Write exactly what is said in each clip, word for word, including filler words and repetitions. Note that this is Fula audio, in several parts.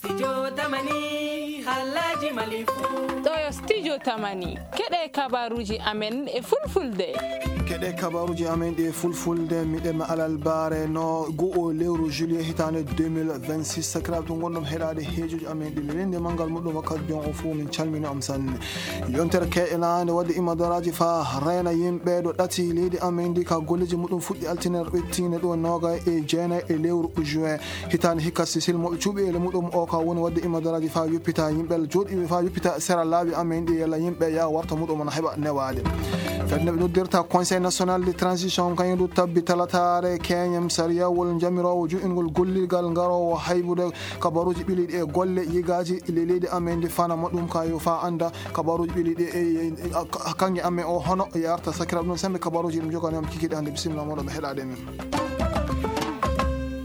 Studio Tamani, halaji Mali fu. Ɗo yo Studio Tamani. Keɗe kabaruji amen e fulfulde. Keɗe kabaruji amen ɗi e fulfulde, miɗen ma alal bare no go'o lewru juillet hitande deux mille vingt-six. Sakiraaɓe to gonɗon heɗade heejoji amen ɗi lelinde manngal muɗum wakkati jon o fuu, min calmini on sanne. Yontere keɗenande wadde imadaraji fa rena yimɓe ɗo ɗati leydi amen ndi ka golleji muɗum fuɗɗi altine ɓettine ɗo noga e jeenayi e lewru juin. Hitaande hikka, Sisil mo ɓe cuɓi ele muɗum o ka woni waɗde imadaraji faa yoppita yimɓe, jooɗiiɓe faa yoppita sera laawi amen ɗi, yalla yimɓe ya warta muɗum na heɓa newaade. Fedde nde ɓe noddirta Conseil National de Transition, kañum du tabbi talataare keñem sariyawol jamiroowo juɗingol gollirgal ngaroowo haybude kabaruuji ɓiliiɗi e golle yigaaji le leydi amen ndi, fana mo ɗum ka yo faa annda kabaruuji ɓiliiɗi e, e, e, a-, a-, kanŋe amen o hono yarta. Sakiraaɓe, ɗum sembe kabaruuji ɗum jogani on kikiɗe hannde. Bisimilla moɗon ɓe heɗaade men.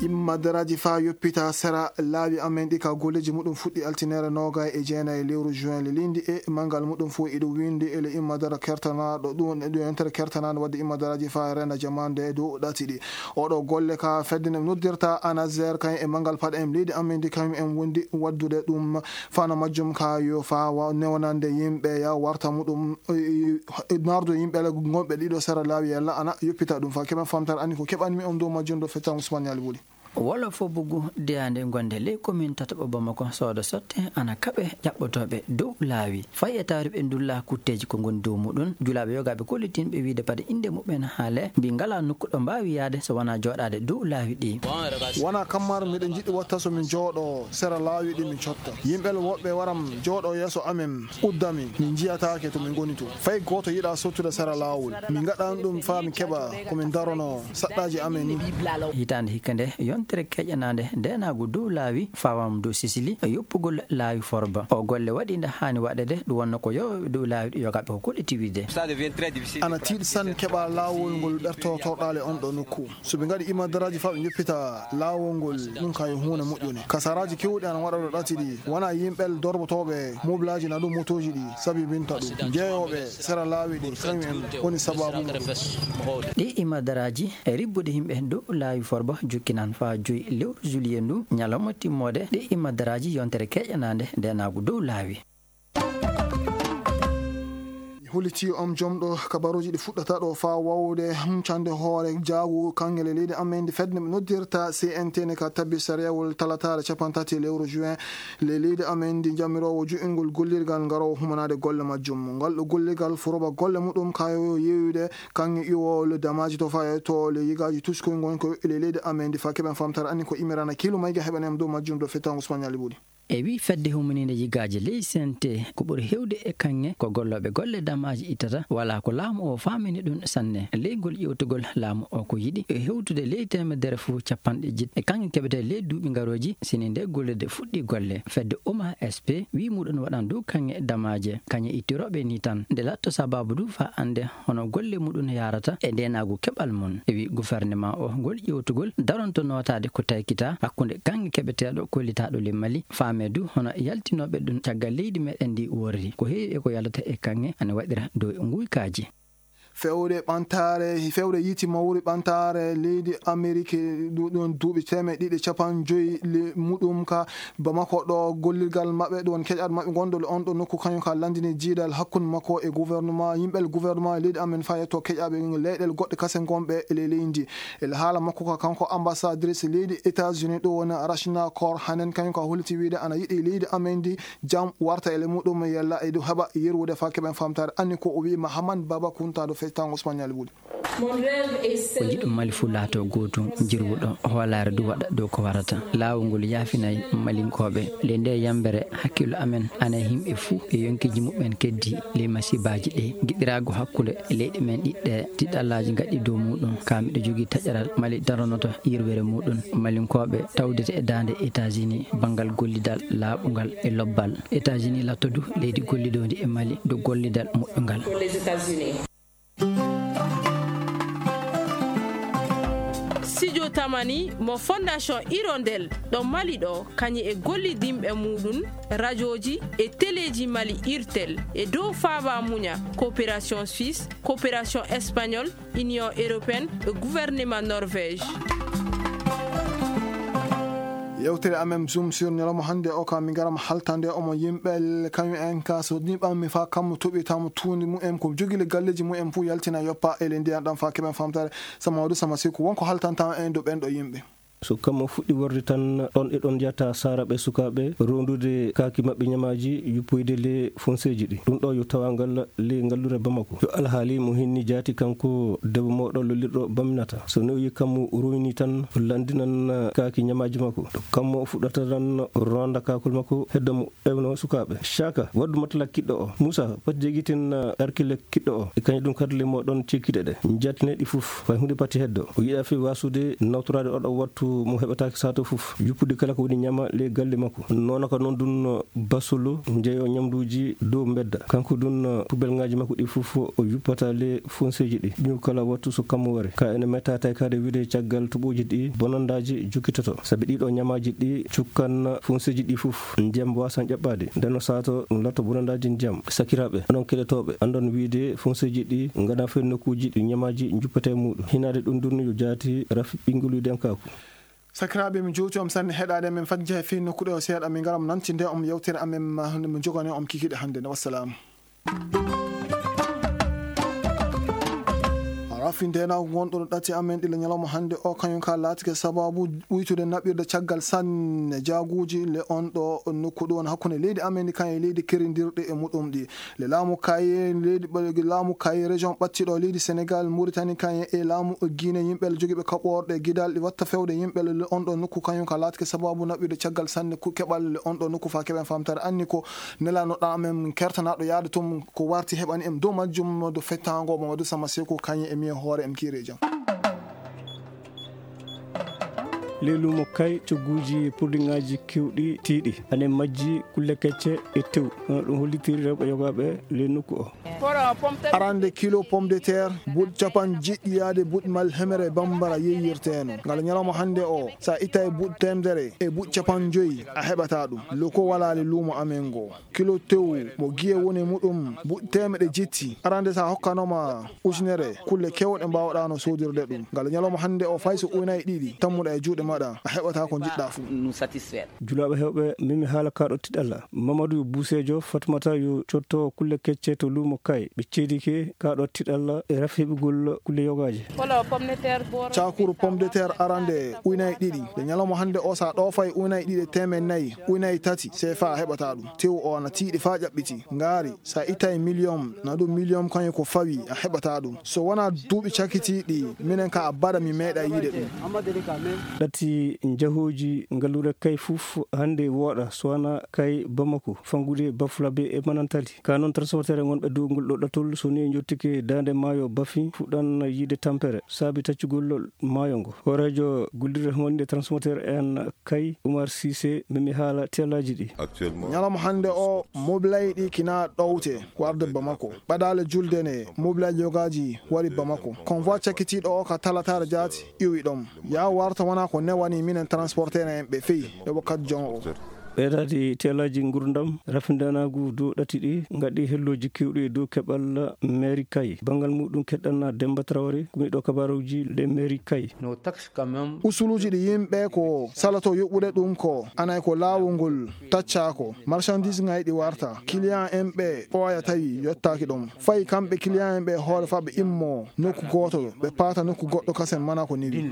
Imma daraaji faa yoppita sera laawi amen ɗi ka golleeji muɗum fuɗɗi altinere noogay e jeenayi lewru juin le lindi e manngal muɗum fof iɗo windi ele imma dara kertanaaɗo ɗum, ɗum yontere kertanaande wadde imma daraaji faa renda jamaande e dow ɗati ɗi. Oɗo golle ka fedde nde noddirta ANASER kañum e manngal paɗe en leydi amen ndi kañum en wondi waddude ɗum fana majjum ka yo faa wa-, newnande yimɓe ya warta muɗum, e, e, e, nardo yimɓe ala gonɓe ɗiɗo sera laawi yalla ana yoppita ɗum fa keɓen famtare anni ko keɓanmi on dow majjum ɗo fettan Ousmane Yali Boli. Wolof o bugu deyaande gonde ley commune tataɓo Bamako soodo sotte ana kaɓe jaɓɓotooɓe dow laawi. Fayi e tawri ɓe ndulla kutteeji ko ngoni dow muɗum, julaaɓe yogaaɓe kollitinɓe wiide paɗe innde muɓɓen haale, mbi ngalaa nokku ɗo mbaawi yaade so wonaa jooɗaade dow laawi ɗi. Wonaa kammar miɗo jiɗi watta so min jooɗo sera laawi ɗi min cotta. Yimɓe woɓɓe waram jooɗo yeeso amen, uddami, min njiyataake to min ngoni to. Fay gooto yiɗaa sottude sera laawol. Min ngaɗan ɗum faa min keɓa ko min darono saɗɗaaji amen ni. Hitaande hikka nde, yontere keƴanaande ndeenaagu dow laawi fawaama dow Sisili e yoppugol laawi Forba. O golle waɗi nde haani waɗede, ɗum wonno ko yowooɓe dow laawi ɗi yogaaɓe ko koɗi tiwide. Ana tiiɗi sanne keɓa laawol ngol ɓerto torɗaale on ɗo nokku. So ɓe ngaɗi imadaraaji faa ɓe njoppita laawol ngol, ɗum ka yo huunde moƴƴunde. Kasaraaji keewɗi ana waɗa ɗo ɗati ɗi. Wonaa yimɓe dorbotooɓe mobilaaji na ɗum motooji ɗi sabibinta ɗum. Jeeyooɓe sera laawi ɗi, kañum en woni sabaabu ngu. Ɗi imadaraaji e ribbude yimɓe dow laawi Forba jokkinan faa joyi lewru juillet ndu, ñalawma timmoode ɗi imadaraaji yontere keƴanaande ndeenaagu dow laawi. Huliti on jom ɗo kabaruuji ɗi fuɗɗata ɗo faa wawde huncande hoore jaagu kangele leydi amen ndi fedde nde ɓe noddirta C N T ne ka tabbi sariyawol talataare capantati lewru juin le leydi amen ndi jamiroowo ju'ingol gollirgal ngaroowo humanaade golle majjum. Ngal ɗo gollirgal foroba golle muɗum kayo yeeyude kanŋe iwol damaaji to faa to le yigaaji tuskoy ngon ko le leydi amen ndi faa keɓen famtare anni ko imirana kiilu mayga heɓanem dow majjum ɗo fettango Ousmane Yali Buli. E wii fedde humaniinde yigaaji ley C N T, ko ɓuri heewde e kaŋŋe ko gollooɓe golle damaaji ittata, walaa ko laamu o faamini ɗum sanne. Ley ngol ƴeewtugol, laamu o ko yiɗi e hewtude ley teemedere fof capanɗe jeɗɗi e kaŋŋe keɓetee ley duuɓi ngarooji, sini nde gollirde fuɗɗii golle. Fedde Uma S P wii muɗum waɗan dow kaŋŋe damaaje, kaŋŋe ittirooɓe ni tan. Nde latto sabaabu du faa annde hono golle muɗum yaarata e ndeenaagu keɓal mum. E wii gouvernement o ngol ƴeewtugol daronto nootaade ko taykitaa hakkunde kaŋŋe keɓeteeɗo kollitaaɗo le Mali, faame du hono yaltinooɓe ɗum caggal leydi meɗen ndi worri. Ko heewi e ko yalata e kaŋŋe ana waɗira dow nguykaaji. Fewde ɓantaare, fewde yiiti mawri ɓantaare leydi Amerik du-, ɗum duuɓi teemeɗɗe ɗiɗi e capanɗe joyi le muɗum ka Bamako ɗo gollirgal maɓɓe ɗon keƴat maɓɓe gonɗo le on ɗo nokku kañum ka landini jiidal hakkunde makko e gouvernement, yimɓe gouvernement leydi amen faa yetto keƴaɓe leyɗel goɗɗe kasen gonɓe e ley leydi. E haala makko ka kanko ambassadrice leydi États-Unis ɗo woni Rachna Kor Hanen kañum ka holliti wiide ana yiɗi leydi amen ndi jam warta e le muɗum yalla e du heɓa yerwude faa keɓen famtare anni ko o wi Mahaman Baba Kunta do fectango Espagnol buɗi. Ko njiɗɗo Mali fuu laatoo gootum, jirwuɗo, hoolaare du waɗa dow ko warata. Laawol ngol yaafinay Malinkooɓe. Ley ndee yambere, hakkillo amen ana e yimɓe fuu e yonkiiji muɓɓen keddii ley masibaaji ɗee. Giɗiraagu hakkunde leyɗe men ɗiɗɗe, tiɗɗallaaji ngaɗɗi dow muuɗum. Kaa miɗo jogii taƴaral Mali daronoto yirwere muuɗum. Malinkooɓe tawdete e daande États-Unis banngal gollidal laaɓungal e lobbal. États-Unis latto du leydi gollidoondi e Mali dow gollidal moƴƴungal. Studio Tamani mo Fondation Hirondelle ɗo Mali ɗo, kañum e gollidinɓe muuɗum, rajooji e teleeji Mali, IRTEL, e dow faaba muña, Coopération Suisse, Coopération Espagnole, Union Européenne e Gouvernement Norvège. Yewtere amen Zoom sur ñalawma hannde o, ka min ngaram haltande omo yimɓe kañum en ka so niɓanmi fa kammu toɓitamo tuundi mumen ko jogile galleji mumen fuu yaltina yoppa e ley ndiyan ɗam fa keɓen famtare. Sama Wadu, Sama Siku, wonko haltanta en dow ɓen ɗo yimɓe. So kammu fuɗɗi worde tan, ɗon e ɗon yata saaraɓe sukaaɓe rondude kaaki maɓɓe ñamaaji yuppoyde le fonseeji ɗi. Ɗum ɗo yo tawangal le ngallure Bamako. Yo alhaali mo hinni jaati kanko debbo mawɗo lollirɗo Baminata. So newi kammu royni tan, landinan kaaki ñamaaji makko. To kammu fuɗɗata tan ronda kaakol makko hedda mo ewno sukaaɓe. Caaka, waddu matala kiɗɗo o. Muusa, pati jegitin, uh, arkile kiɗɗo o. E kañum ɗum kadi le moɗon cekkide ɗe. Jattine ɗi fof. Fay huunde pati heddo. O yiɗa fi wasude nawtoraade oɗo wattu mo heɓataake sato fof. Yuppude kala ko woni ñama le galle makko. Noona ko noon ɗum, uh, basulu njeyo ñamduuji dow mbedda. Kanko ɗum, uh, pubelŋaaji makko ɗi fof o yuppata le fonseeji ɗi. Ɗum kala wattu so kammu wari. Ka ene metta tawi kadi wiide caggal toɓooji ɗi bonandaaji jokkitoto. Sabi ɗiɗo ñamaaji ɗi cukkan fonseeji ɗi fof, ndiyam wasan ƴaɓɓaade. Nden no saato ɗum latto bonandaaji ndiyam. Sakiraaɓe, onon keɗotooɓe, anndon wiide fonseeji ɗi ngana feen nokkuuji ɗi ñamaaji njuppete e muuɗum. Hinaade ɗum ɗum yo jaati rafi ɓinngoluuji denkaaku. Sakiraaɓe, min jowti on sanne heɗaade men fajja e fii nokkuɗe o seeɗa, min ngaram nantinde on yewtere amen, ma, mo jogani on kikiɗe hannde. Wassalaamu. Rafindeenaagu ngonɗo no ɗati amen ɗila ñalawma hannde o, kañum ka laatike sababu uytude naɓirde caggal sanne jaaguuji le on ɗo nokku ɗo woni hakkunde leydi amen ndi kañum e leydi kerindirɗi e muɗum ɗi. Le laamu kaye leydi ɓe-, laamu kaye région ɓattiɗo leydi Sénégal, Mauritanie kañum e laamu Guinée, yimɓe le jogiiɓe kaɓorɗe gidal ɗi watta fewde yimɓe le on ɗo nokku kañum ka laatike sababu naɓirde caggal sanne ku-, keɓal le on ɗo nokku fa keɓen famtare anni ko Nelaaɗo amen kertanaaɗo yaade toon ko warti heɓani en dow majjum dow fettaango Mamadou Sama Seku kañum e miin hoore em kiire jam. Ley luumo kay cogguuji produitŋaaji keewɗi tiiɗi. Ane majji kulle kecce e tew. Hono ɗum hollitiri rewɓe yogaaɓe ley nokku o. Arande kilo pomme de terre, buuɗi capanɗe jeeɗiɗi yaade buuɗi mal hemere bambara yeeyirteeno. Ngal ñalawma hannde o, so a ittay buuɗi teemedere e buuɗi capanɗe joyi, a heɓataa ɗum. Loko walaali luumo amen ngo. Kilo tew mo giye woni muɗum buuɗi teemeɗe jetti. Arande so a hokkanooma ujunere, kulle keewɗe mbaawɗaano soodirde ɗum. Ngal ñalawma hannde o, fay so uynay ɗiɗi tammuɗa e juuɗe maɗa, a heɓataa ko njiɗɗaa fuu. Julaaɓe heewɓe, min mi haala kaaɗo tiɗalla. Mamadou Buseejo, Fatmata yo cotto kulle kecce to luumo kay. Ɓe ceedike kaaɗo tiɗalla e rafi heɓugol kulle yogaaji. Caakuru pomme de terre arande uynay ɗiɗi. Nde ñalawma hannde o, so a ɗoofay uynay ɗiɗi e teemeɗe nayi, uynay tati, C F A a heɓataa ɗum. Tew o ana tiiɗi faa ƴaɓɓiti. Ngaari, so a ittay million, na ɗum million kañum ko fawi, a heɓataa ɗum. So wonaa duuɓi cakitiiɗi, minen ka abada mi meeɗa yiide ɗum. Ɗati njahooji ngalluure kay fof hannde wooɗa, so wonaa kay Bamako, fanngude Bafulabe e Manantali. Ka noon transporteur wonɓe dow ngol ɗo ɗatol, so ni njottike daande maayo Bafi, fuɗɗan yiide tampere, saabi taccugol maayo ngo. Hooreejo gullirde wonde transporteur en kay, Oumar Cissé, mimi haala tellaaji ɗi. Ñalawma hannde o, mobilay ɗi kina ɗowte warde Bamako. Ɓadaale julde ne, mobilay yogaaji wari Bamako. Convoi cakkitiiɗo o ka talataare jaati, iwi ɗon. Yaa warta wona ko newani minen transporteur en ɓe fey e wakkati jon o. Ɓeydaade tellaaji ngurdam, rafindanaagu dow ɗati ɗi, ngaɗi hellooji keewɗi dow keɓal mairie kay. Banngal muɗum keɗɗan Demba Traoré, kumiɗo kabaruuji le mairie kay. Usuluuji ɗi yimɓe ko saloto yoɓude ɗum ko, anay ko laawol ngol taccaa ko, marchandise ŋayɗi warta, client en ɓe ɓooya tawi yottaaki ɗon. Fay kamɓe client en ɓe hoore fa ɓe immo nokku gooto, ɓe paata nokku goɗɗo kasen mana ko niwi.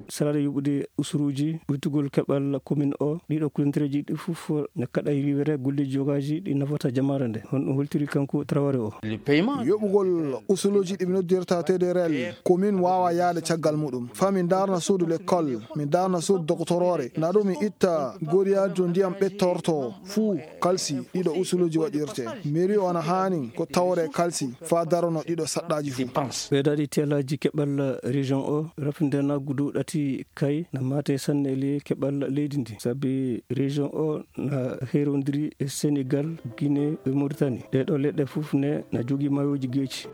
Salaade yoɓude usuruuji, ɓuytugol keɓal commune o, ɗiɗo kulentereeji ɗi fof ne kaɗa riwere golleeji yogaaji ɗi nafata jamaare nde. Honɗum holtiri kanko Traoré o? Yoɓugol usuluuji ɗi ɓe noddirta T D R L, commune waawa yaade caggal muɗum. Fa min daarna suudu l'école, min daarna suudu doctoroore, na ɗum mi itta goriyaajo ndiyam ɓettorto fuu kalsi ɗiɗo usuluuji waɗirte. Mairie o na haani ko tawre kalsi fa darono ɗiɗo saɗɗaaji fuu. Ɓeydaade tellaaji keɓal région o, rafindanaagu dow ɗati kay na maate sanne le keɓal leydi ndi. Sabi région o na heerondiri e Sénégal, Guinée e Mauritanie. Ɗee ɗo leɗɗe fof ne na jogii maayooji geeci.